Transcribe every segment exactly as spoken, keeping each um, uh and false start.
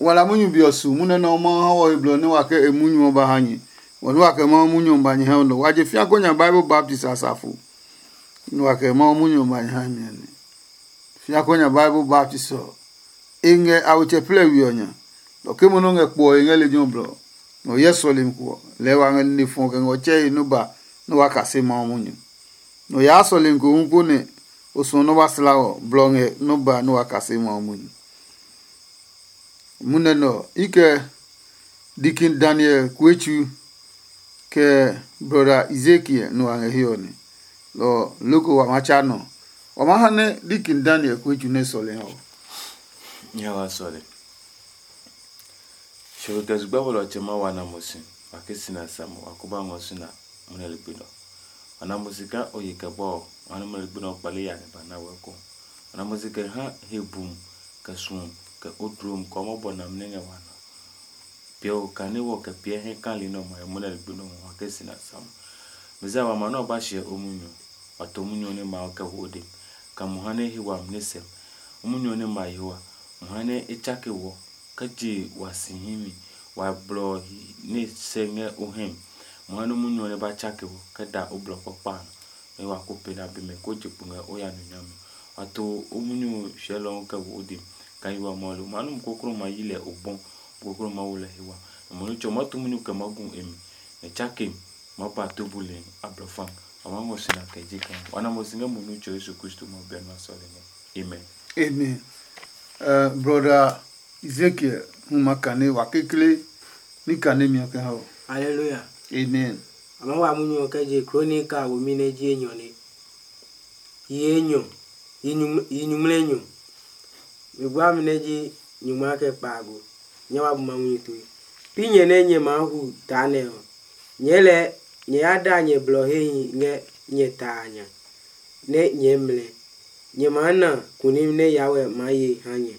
Wala munyu be ɔ su munyu nɛ ɔ Mawu ha wɔ he blɔ nɛ wa kɛ e munyu ɔ ba ha nyɛ. Wɔ nɛ wa kɛ Mawu munyu ɔ ba nyɛ ha nɔ. Wa je fia ko nya Bible baptist asafo. Nɛ wa kɛ Mawu munyu ɔ ba nyɛ ha mi ɔ nɛ. Fia ko nya Bible baptist ɔ, e ngɛ awetsɛ plɛ we ɔ nya. Nɔ ke mo nɔ ngɛ kpo ɔ e ngɛ lejɛ ɔ blɔ. Nɔ hyɛ sɔlemi ko ɔ, lɛɛ wa ngɛ nine fɔ kɛ ngɛ ɔ tsɛ he nɔ ba nɛ wa kase Mawu munyu. Nɔ yaa sɔlemi ko hu po nɛ o suɔ nɔ́ ba sla ɔ, blɔ ngɛ nɔ́ ba nɛ wa kase Mawu munyu. Munɛ nɛ ɔ, i kɛ Dikin Daniel Kuetsu kɛ brɔda Ezekiel nɛ wa ngɛ he ɔ nɛ. Lɔ ɔ, loko wa ma tsa nɔ. Wa ma ha nɛ Dikin Daniel Kuetsu nɛ sɔlemi ɔ. Nyɛ wa sɔle. Shɔwe kɛ zugba bɔlɔ ɔtsɛ ma wa na mo si, wa ke si na sa mo, wa ko ba ngɔ si na mo nɛ ligbi nɔ. Wa na mo si kaa o ye kɛ bɔ ɔ, wa nɛ mo ligbi nɔ kpale ya nɛ ba na wɛ ko. Wa na mo si kɛ ha he bum, kɛ suɔ, kɛ o dlom, kɛ o mɔ bɔ namli ngɛ wa nɔ. Piɛ o kane wɔ kɛ piɛ hɛ kali nɛ ɔmɔ ɛ mo nɛ ligbi nɔ mo, wa ke si na sa mo. Mizia wa ma nɛ ɔ ba hyɛ o munyu, wa to munyu ɔ nɛ ma ɔ kɛ wo o de, ka mo ha nɛ he wami nɛ sɛm. O munyu ɔ nɛ ma yehowa, mo ha nɛ e tsake wɔ, kɛ je wa si himi, wa blɔ hi nɛ sɛ ngɛ o hɛmi. Mo ha nɛ munyu ɔ nɛ ba tsake wɔ, kɛ da o blɔ kpakpa a nɔ, nɛ wa ko pee na be mɛ ko je kpo ngɛ o ya nɔ nyami. Wa to o munyu ɔ hyɛlɔ ɔ kɛ wo o de, ka yi wa mɔ lo. Ma num koklo ma yi lɛ o bɔ, koklo ma wo lɛ he wa. Nɔ mo nitsɛ ma tu munyu kɛ ma gu e mi, nɛ tsake ma ba to bule ablɔfan. A ma ngɔ sina kɛ je kan. Wa na mo si ngɛ mo nitsɛ Yesu Kristo ma bɛ na sɔle nɛ. Amen. Amen. Uh, brother Ezekiel, hu ma kane wa kekle ni kane mi ɔ kɛ ha o. Hallelujah. Amen. A ma wa munyu ɔ kɛ je Kronika womi nɛ ji enyɔ ne. Yi enyɔ, yi nyuŋmlɛ enyɔ. Mi bua mi nɛ ji nyuŋma kɛ kpaago. Nyɛ wa bu ma munyu tue. Pi nyɛ nɛ nyɛ maa hu taa nɛ ɔ, nyɛɛ lɛɛ nyɛ ya da nyɛ blɔ hehi ngɛ nyɛ ta a nya, nɛ nyɛɛ mlɛ. Nyɛ maa na kunim nɛ Yahweh maa ye ha nyɛ.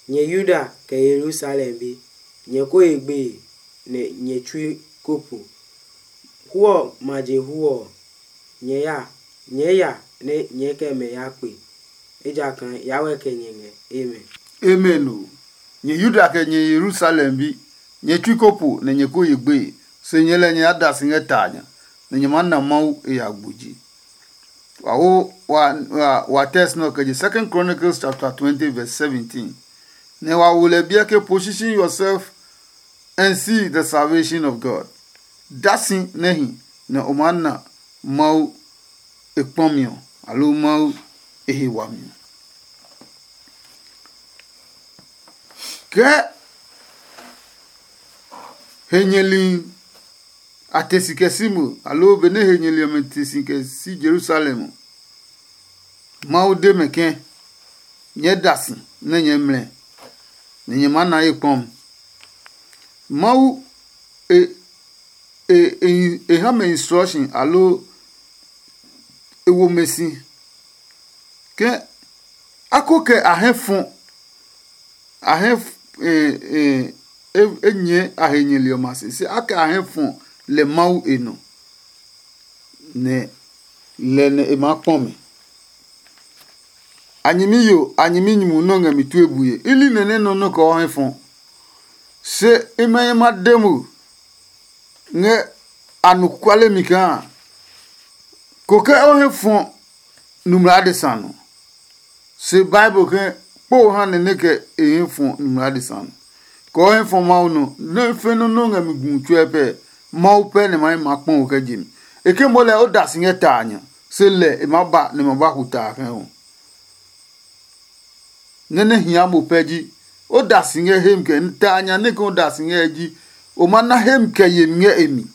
Nyɛ Yuda kɛ Yerusalem bi, nyɛ ko ye gbeye, nɛ nyɛ tsui ko po. Hu ɔ ma je hu ɔ, nyɛ ya, nyɛɛ ya nɛ nyɛɛ kɛ mɛ ya kpe, ejakaa Yahweh kɛ nyɛ ngɛ. Amen. Amen o. Nyɛ Yuda kɛ nyɛ Yerusalem bi, nyɛ tsui ko po nɛ nyɛ ko ye gbeye, se nyɛ lɛ nyɛ ya da si ngɛ ta a nya, nɛ nyɛ maa na Mawu e ya gbuji. Wa wo wa wa, wa text nɔ kɛ je Second Chronicles chapter twenty verse seventeen. Nɛ wa wo lɛ biɛ ke position yourself and see the salvation of God. Da si nɛ hi nɛ o maa na Mawu e kpɔmi ɔ, aloo Mawu e he wami ɔ. Kɛɛ he nyɛli a te si kɛ si mo, aloo benɛ he nyɛli ɔmɛ te si kɛ si Yerusalem ɔ, Mawu de mɛ ke, nyɛɛ da si nɛ nyɛɛ mlɛ, nɛ nyɛ maa na ye kpɔmi. Mawu e e e e ha mɛ instruction aloo e wo mɛ si ke a ko kɛ a hɛ fɔ a hɛ e e e nyɛ a he nyɛli ɔmɛ a se se a kɛ a hɛ fɔ lɛ Mawu e nɔ, nɛ lɛ nɛ e maa kpɔ mɛ. A nyɛmi yo, a nyɛmi nyumu nɛ o ngɛ mi tue bue. I li nɛ nɛ nɔ nɔ kɛ o hɛ fɔ. Se i mɛ i ma de mo ngɛ anɔkuale mi kaa ko ke o hɛ fɔ numla adesa nɔ. Se Bible ke kpo ha nɛ nɛ kɛ e hɛ fɔ numla adesa nɔ. Kɛ o hɛ fɔ Mawu nɔ, nɛ fe nɔ nɔ ngɛ mi gu tsuɛ pɛ, Mawu pɛ nɛ ma ma kpɔ o kɛ je mi. E ke mo lɛ o da si ngɛ ta a nya, se lɛ e ma ba nɛ ma ba hu ta a kɛ ho. Nɛ nɛ hia mo pɛ ji, o da si ngɛ hem kɛ ta a nya nɛ ke o da si ngɛ ji, o ma na hem kɛ yemi ngɛ e mi.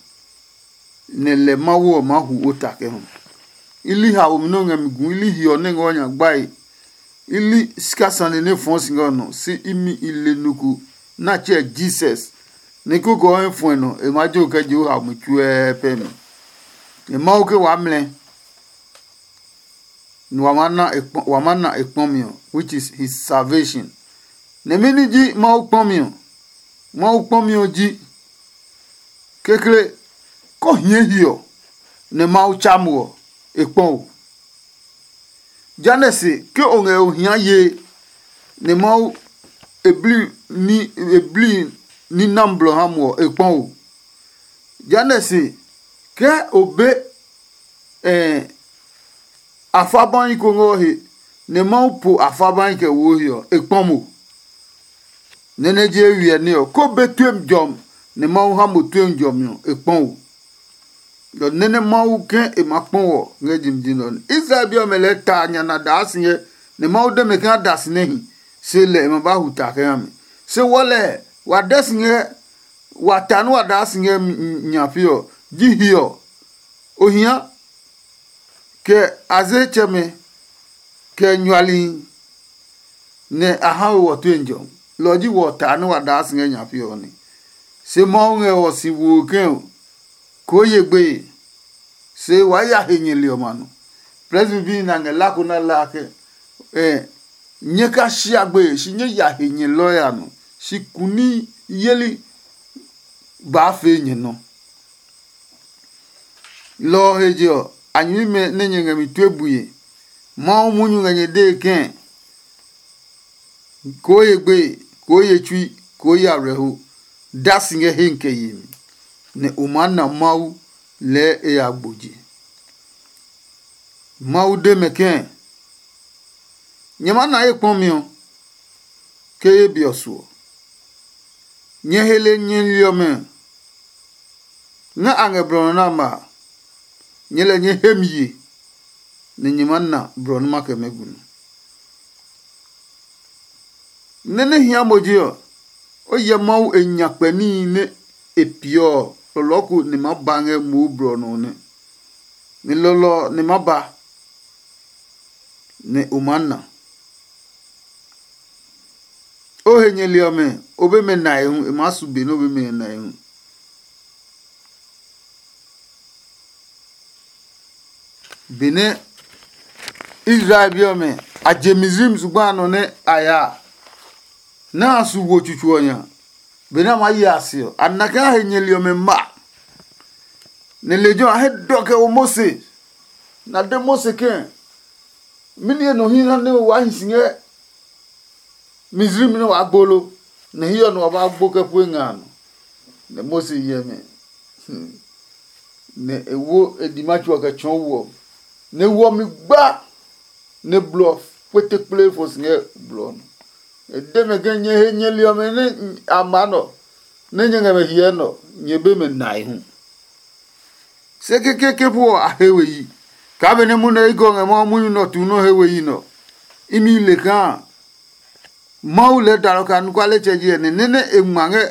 Nɛ lɛ Mawu ɔ maa hu o ta kɛ ho. I li haomi nɛ o ngɛ mi gu, i li hiɔ nɛ ngɛ o nya gbae, i li sika sane nɛ fɔɔ si ngɛ o nɔ, se imi i le nɔ ko nɛ a tsɛɛ Jesus. Nɛ koko ɔ hɛ fɔe nɔ, e maa jo kɛ je o haomi tsuɛɛ pɛ mi. Nɛ Mawu ke waa mlɛ, nɛ wa maa na e kpɔ- wa maa na e kpɔmi ɔ, which is his salvation. Nɛ mɛni ji Mawu kpɔmi ɔ? Mawu kpɔmi ɔ ji kekle, kɔ hie hiɔ nɛ Mawu tsa mo ɔ, e kpɔ o. Jehanɛ se ke o ngɛ o hia yee nɛ Mawu e bli ní e bli ní na blɔ ha mo ɔ, e kpɔ o. Jehanɛ se, ke o be eh, afabahi ko ngɛ o he, nɛ Mawu po afabahi kɛ wo o he ɔ, e kpɔ mo. Nɛ nɛ je wiɛ ní ɔ, ko be tue jɔmi, nɛ Mawu ha mo tue jɔmi ɔ, e kpɔ o. Lɔ nɛ nɛ Mawu ke e ma kpɔ wɔ ngɛ jimjim ɔ nɛ. Israel bi ɔmɛ lɛɛ ta nya na daa si ngɛ, nɛ Mawu de mɛ ke a da si nɛ hi, se lɛ e ma ba hu ta kɛ ha mi. Se wɔ lɛ, wa dɛ si ngɛ, wa ta nɛ wa daa si ngɛ nya pe ɔ, ji hiɛ ɔ. Ohia, kɛ azetsɛmɛ, kɛ nyualihi, nɛ a ha we wɔ tue jɔ. Lɔ ji wɔ ta nɛ wa daa si ngɛ nya pe ɔ nɛ. Se Mawu ngɛ wɔ si wo kɛ koo ye gbeye, se waa ya he nyɛli ɔmɛ a nɔ. Prɛsi bi na ngɛ lako na la ke, eh, nyɛ ka shia gbeye shi nyɛ ya he nyɛlɔɛ a nɔ, shi kuni yeli baa fee nyɛ nɔ. Lɔ ɔ he je ɔ, a nyɛmimɛ nɛ nyɛ ngɛ mi tue bue. Mawu munyu ngɛ nyɛ dee kɛ̃, koo ye gbeye, koo ye tsui, koo ye ablɛho, da si ngɛ he kɛ yemi, nɛ o maa na Mawu lɛɛ e ya gbo je. Mawu de mɛ kɛ̃, nyɛ maa na ye kpɔmi ɔ, ke ye be ɔ suɔ. Nyɛ he le nyɛli ɔmɛ nɛ a ngɛ blɔ nɔ nɛ a ma a, nyɛ lɛ nyɛ he mi ye, nɛ nyɛ maa na blɔ nɛ ma kɛ mɛ gu nɔ. Nɛ nɛ hia mo je ɔ, o hyɛ Mawu e nyakpɛ níhi nɛ e peeɔ ɔ, lɔlɔɔ ko nɛ ma ba ngɛ mo blɔ nɔ nɛ. Nɛ lɔlɔ ɔ nɛ ma ba, nɛ o maa na. O he nyɛli ɔmɛ, o be mɛ nae hu, e maa su be nɛ o be mɛ nae hu. Benɛ Israel bi ɔmɛ a je Misraim zugba a nɔ nɛ a ya a, nɛ a su wo tsutsu ɔ nya, benɛ a maa ye a se ɔ, a na kaa he nyɛli ɔmɛ ma. Nɛ lejɛ ɔ a he dɔ kɛ wo Mose, nɛ a de Mose ke, mɛni he nɔ hi ha nɛ o waa hi si ngɛ Misraim nɛ waa gbo lo, nɛ hiɛ ɔ nɛ wa ba gbo kɛ pue nga a nɔ? Nɛ Mose hyɛ mɛ, nɛ e wo e dima tso ɔ kɛ tsɔɔ wo ɔ, nɛ wo ɔ mi gba, nɛ blɔ kpetekple fɔ si ngɛ blɔ ɔ nɔ. E de mɛ ke, nyɛ he nyɛli ɔmɛ nɛ a maa nɔ, nɛ nyɛ ngɛ mɛ hyɛɛ nɔ, nyɛ be mɛ nae hu. Se kekeke po ɔ a he we yi, kaa benɛ munɛ i gɔ ngɛ Mawu munyu nɛ ɔ tuu nɔ́ he we yi nɛ ɔ, imi le kaa Mawu lɛɛ dalɔ kɛ anɔkualetsɛ ji ɛ nɛ nɛ nɛ e ngma ngɛ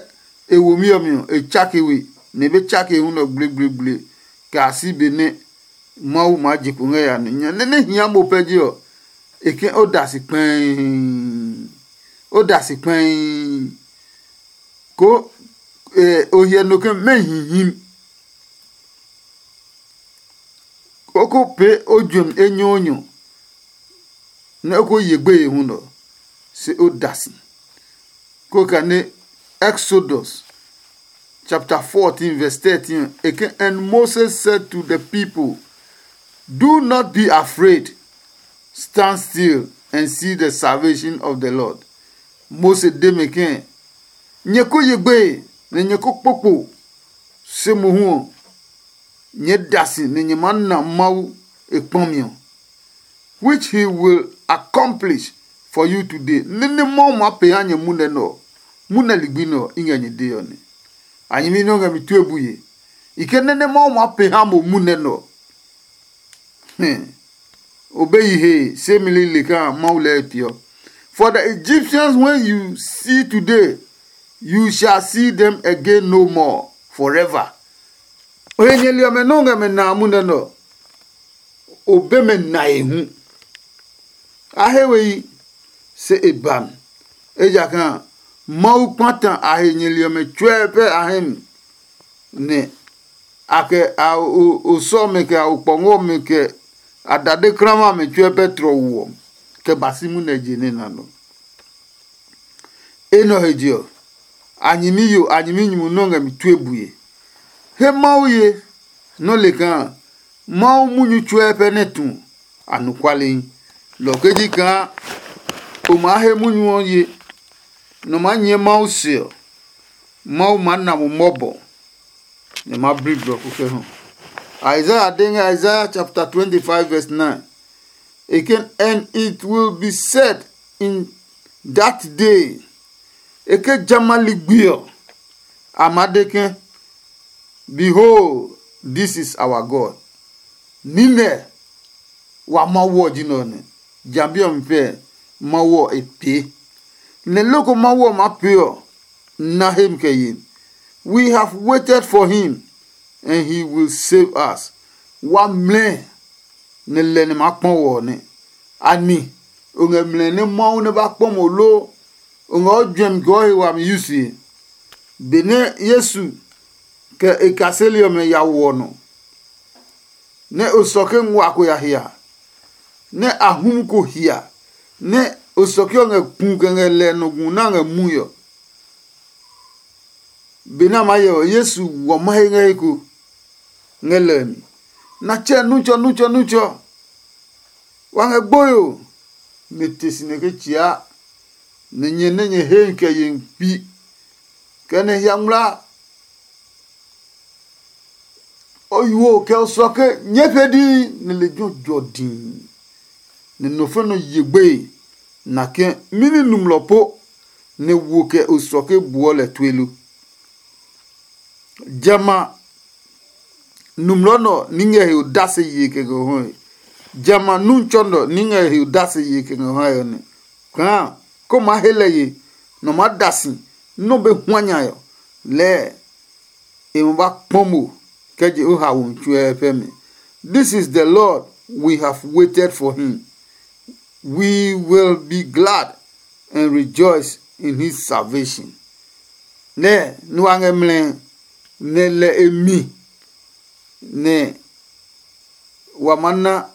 e womi ɔ mi ɔ, e tsake we, nɛ e be tsake hu nɛ ɔ gblegblegle kɛ a si be nɛ Mawu maa je kpo ngɛ ya nɛ nya nɛ nɛ hia mo pɛ je ɔ, e ke o da si kpɛɛ. O da si kpɛɛ. Ko o hyɛ no ke mɛ hihim. O ko pee o juɛmi enyɔɔnyɔ nɛ o ko ye gbeye hu nɔ, se o da si. Ko kane Exodus chapter fourteen verse thirteen, e ke, and Moses said to the people, do not be afraid, stand still and see the salvation of the Lord. Mose de mɛ ke, nyɛ ko ye gbeye, nɛ nyɛ ko kpokpo, se mohu ɔ, nyɛ da si nɛ nyɛ maa na Mawu e kpɔmi ɔ, which he will accomplish for you today. Nene Mawu maa pee ha nyɛ munɛ nɛ ɔ, munɛ ligbi nɛ ɔ, i ngɛ nyɛ dee ɔ nɛ. A nyɛmi nɛ o ngɛ mi tue bue. I ke nene Mawu maa pee ha mo munɛ nɛ ɔ, o be yi hee, se mi lile kaa Mawu lɛɛ e peeɔ. For the Egyptians when you see today, you shall see them again no more forever. O he nyɛli ɔmɛ nɛ o ngɛ mɛ na a munɛ nɛ ɔ, o be mɛ nae hu. A he we yi, se e ba mi, ejakaa Mawu kpata a he nyɛli ɔmɛ tsuɛ pɛ a hɛ mi, nɛ a kɛ a osɔ ɔmɛ kɛ a okpɔngɔ ɔmɛ kɛ a dade klama ɔmɛ tsuɛ pɛ tlɔ wo ɔ, kɛ ba si munɛ je nɛ na nɔ. Enɛ ɔ he je ɔ, a nyɛmi yo, a nyɛmi nyumu nɔ́ ngɛ mi tue bue. He Mawu ye, nɔ́ le kaa Mawu munyu tsuɛ pɛ nɛ tu anɔkualehi. Lɔ kɛ ji kaa o maa he munyu ɔ ye, nɔ maa nyɛɛ Mawu se ɔ, Mawu maa na mo mɔbɔ, nɛ ma bli blɔ ko kɛ hu. Isaiah de ngɛ Isaiah chapter twenty-five verse nine. E ke, "And it will be said in that day," e ke jamɛ a ligbi ɔ, a maa de ke, "Behold, this is our God." Nine wa Mawu ɔ ji nɛ ɔ nɛ. Jambi ɔ mi pɛ Mawu ɔ e pee. Nɛ loko Mawu ɔ maa pee ɔ, na hemi kɛ yen. We have waited for him, and he will save us. Wa mlɛ nɛ lɛ nɛ maa kpɔ wɔ ɔ nɛ. Ani o ngɛ mlɛ nɛ Mawu nɛ ba kpɔ mo loo? O ngɛ o juɛmi kɛ o he wami yusue? Benɛ Yesu kɛ e kaseli ɔmɛ ya wo ɔ nɔ, nɛ osɔke nguaa ko ya hia, nɛ ahum ko hia, nɛ osɔke ɔ ngɛ ku kɛ ngɛ lɛ nɔ gu nɛ a ngɛ mui ɔ. Benɛ a maa hyɛ ɔ, Yesu wɔ mahe ngɛ he ko ngɛ lɛ mi. Natsɛ, nutsɔ, nutsɔ, nutsɔ, wa ngɛ gboe o! Nɛ te si nɛ ke tsia, nɛ nyɛ nɛ nyɛ hee kɛ ye kpi, kɛ nɛ hia ngmlaa. O yuo kɛ o suɔ ke nyɛɛ pɛ dii, nɛ lejɛ ɔ jɔ dii, nɛ nɔ fɛ nɔ ye gbeye, nake mɛni nɔmlɔ po nɛ wo kɛ o suɔ ke buɔ lɛ tue lo? Jamɛ a, nɔmlɔ nɛ ɔ ní ngɛ he odase yee kɛ ngɛ hɔe. Jamɛ a, nuntsɔ nɛ ɔ ní ngɛ he odase yee kɛ ngɛ hɔe ɔ nɛ. Kaa ko maa he lɛ ye, nɔ maa da si, nɔ be hua nya ɔ, lɛɛ e ma ba kpɔ mo kɛ je o haomi tsuɛ pɛ mi. This is the Lord, we have waited for him. We will be glad and rejoice in his salvation. Nɛ nu wa ngɛ mlɛ nɛ lɛ e mi, nɛ wa ma na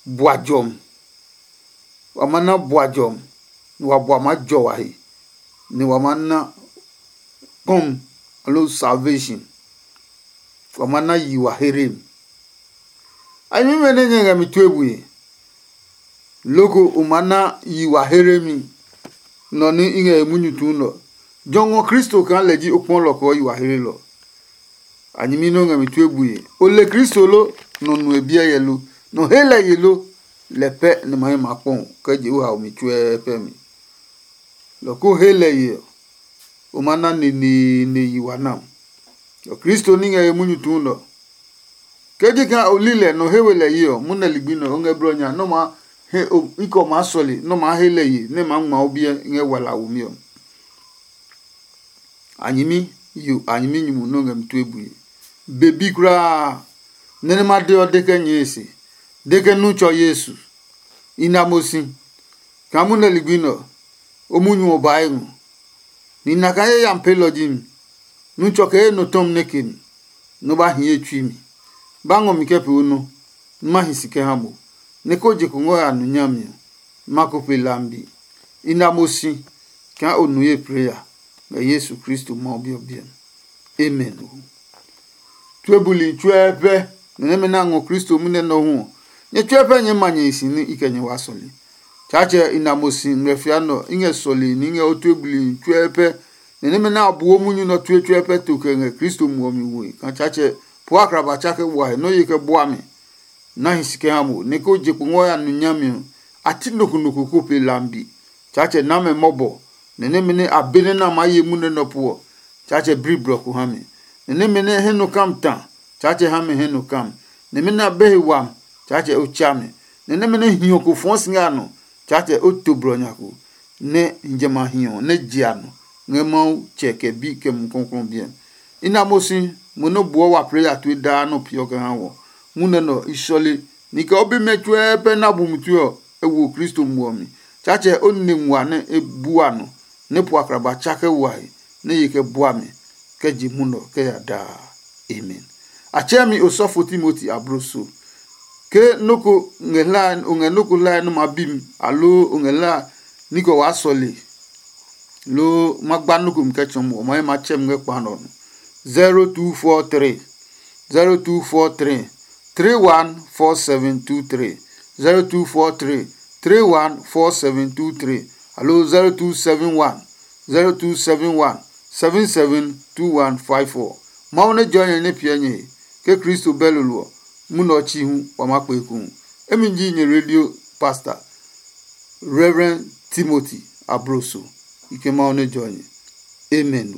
bua jɔmi. Wa ma na bua jɔmi, nɛ wa bua maa jɔ wa he, nɛ wa ma na kɔmi, aloo salvation. Wa ma na yi wa here mi. A nyɛmimɛ nɛ nyɛ ngɛ mi tue bue, loko o ma na yi wa here mi nɔ nɛ i ngɛ he munyu tuu nɛ ɔ. Jɔ ngɔ Kristo kaa lɛ ji o kpɔlɔ kɛ o yi wa here lɔ. A nyɛmi nɛ o ngɛ mi tue bue, o le Kristo lo? Nɔ nue biɛ yɛ lo? Nɔ he lɛ ye lo? Lɛ pɛ nɛ ma he ma kpɔ kɛ je o haomi tsuɛ pɛ mi. Lɔ ko he lɛ ye ɔ, o ma na neneene yi wa nam. Lɔ Kristo ní ngɛ he munyu tuu nɛ ɔ. Ke ji kaa o li lɛ nɔ he we lɛ ye ɔ, munɛ ligbi nɛ o ngɛ blɔ nya nɛ o maa he o ikɔ maa sɔle nɛ o maa he lɛ ye nɛ e maa ngma o biɛ ngɛ wala womi ɔ. A nyɛmi yo, a nyɛmi nyumu nɛ o ngɛ mi tue bue. Be bi kulaa. Nɛ nɛ ma de ɔ de kɛ nyɛe se, de ke nu tsɔ Yesu. I na mo si kaa munɛ ligbi nɛ ɔ, o munyu ɔ ba e ngɔ. Ni na kaa ye yami peelɔ ji mi. Nu tsɔ kɛ ye nɔ tɔmi nɛ ke mi, nɔ ba hi ye tsui mi. Ba ngɔ mi kɛ pee o nɔ, nɛ ma hi si kɛ ha mo, nɛ ko je ko ngɔ ya nu nyami ɔ, ma ko pe lambi. I na mo si kaa o nu ye plee ya ngɛ Yesu Kristo Mawu Bi ɔ biɛ mi. Amen. Tue buli tsuɛ pɛ nɛ nɛmɛ nɛ a ngɔ Kristo munɛ nɛ ɔ hu ɔ, nyɛ tsuɛ pɛ nyɛɛ ma nyɛ hi si nɛ i kɛ nyɛ waa sɔle. Tsaatsɛ i na mo si ngmlɛfia nɛ ɔ, i ngɛ sɔle nɛ i ngɛ o tue buli tsuɛ pɛ nɛ nɛmɛ nɛ a buo munyu nɛ ɔ tue tsuɛ pɛ to kɛ ngɛ Kristo muɔ mi woe kaa Tsaatsɛ po akraba tsa kɛ wa he nɛ o ye kɛ bua mi. Na hi si kɛ ha mo nɛ ko je kpo ngɔ ya nu nyami ɔ, a ti nɔ ko nɔ ko ko pe lambi. Tsaatsɛ na mɛ mɔbɔ, nɛ nɛmɛ nɛ a be nɛ na maa ye munɛ nɔ ɔ puɔ, Tsaatsɛ bli blɔ ko ha mi. Nɛ nɛmɛ nɛ hɛ nɔ kam ta, Tsaatsɛ ha mɛ hɛ nɔ kam. Nɛmɛ nɛ a be he wami, Tsaatsɛ o tsa mɛ. Nɛ nɛmɛ nɛ hiɔ ko fɔɔ si ngɛ a nɔ, Tsaatsɛ o to blɔ nya ko, nɛ jamɛ a hiɔ nɛ je a nɔ ngɛ Mawu Tsɛ kɛ Bi kɛ Mumi Klɔuklɔu ɔ biɛ. I na mo si mo nɛ buɔ wa plɛ ya tue daa nɛ o peeɔ kɛ ha wɔ. Munɛ nɛ ɔ, i sɔle ni kɛ o bimɛ tsuɛ pɛ na bumi tue ɔ, e wo Kristo muɔ mi. Tsaatsɛ o nine nguaa nɛ e bua nɔ, nɛ po akraba tsa kɛ wa he, nɛ ye kɛ bua mi kɛ je munɔ kɛ ya daa. Amen. A tsɛɛ mi osɔfo Timoti abloso. Ke nɔ́ ko ngɛ hlae, o ngɛ nɔ́ ko hlae nɛ o maa bi mi, aloo o ngɛ hlae ní kɛ o waa sɔle, loo ma gba nɔ́ ko mi kɛ tsɔɔ mo, o ma he ma tsɛ mi ngɛ kpa nɛ ɔ nɔ. Zero two four three, zero two four three, three one four seven two three, zero two four three, three one four seven two three, aloo zero two seven one, zero two seven one seven seven two one five four. Mawu nɛ jɔ nyɛ nɛ piɛ nyɛ he. Ke Kristo bɛ lolo ɔ, munɛ ɔ chi hu wa ma kpe hu. Emi ji nyɛ radio pastor, Reverend Timothy Abroso. Ike Mawu nɛ jɔ nyɛ. Amen.